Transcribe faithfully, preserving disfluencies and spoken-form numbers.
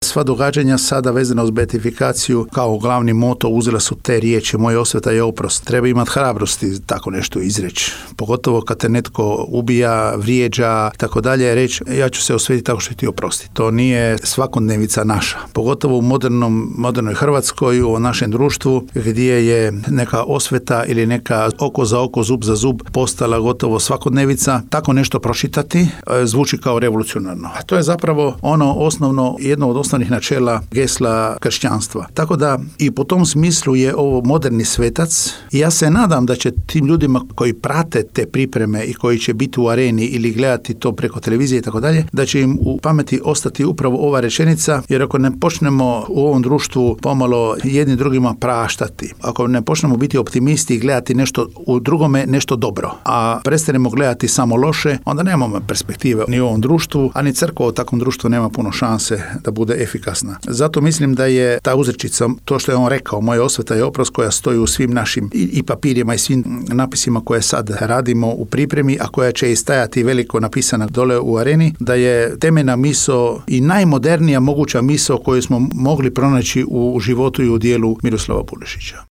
sva događanja sada vezana uz beatifikaciju kao glavni moto uzela su te riječi moja osveta je oprost. Treba imati hrabrosti tako nešto izreći. Pogotovo kad te netko ubija, vrijeđa, tako dalje, reći ja ću se osvetiti tako što ti oprosti. To nije svakodnevica naša. Pogotovo u modernom, modernoj Hrvatskoj, u našem društvu gdje je neka osveta ili neka oko za oko, zub za zub postala gotovo svakodnevica. Tako nešto pročitati zvuči kao revolucionarno. A to je zapravo ono osnovno, jedno od osnovnih načela gesla kršćanstva. Tako da i po tom smislu je ovo moderni svetac i ja se nadam da će tim ljudima koji prate te pripreme i koji će biti u areni ili gledati to preko televizije i tako dalje, da će im u pameti ostati upravo ova rečenica, jer ako ne počnemo u ovom društvu pomalo jedni drugima praštati, ako ne počnemo biti optimisti i gledati nešto u drugome, nešto dobro, a prestanemo gledati samo loše, onda nemamo perspektive ni u ovom društvu, a ni crkva u takvom društvu nema puno šanse da bude efikasna. Zato mislim da je ta uzrečica, to što je on rekao, moja osveta je oprost, koja stoji u svim našim i, i papirima i svim napisima koje sad radimo u pripremi, a koja će i stajati veliko napisana dole u areni, da je temeljna misao i najmodernija moguća misao koju smo mogli pronaći u životu i u dijelu Miroslava Puljašića.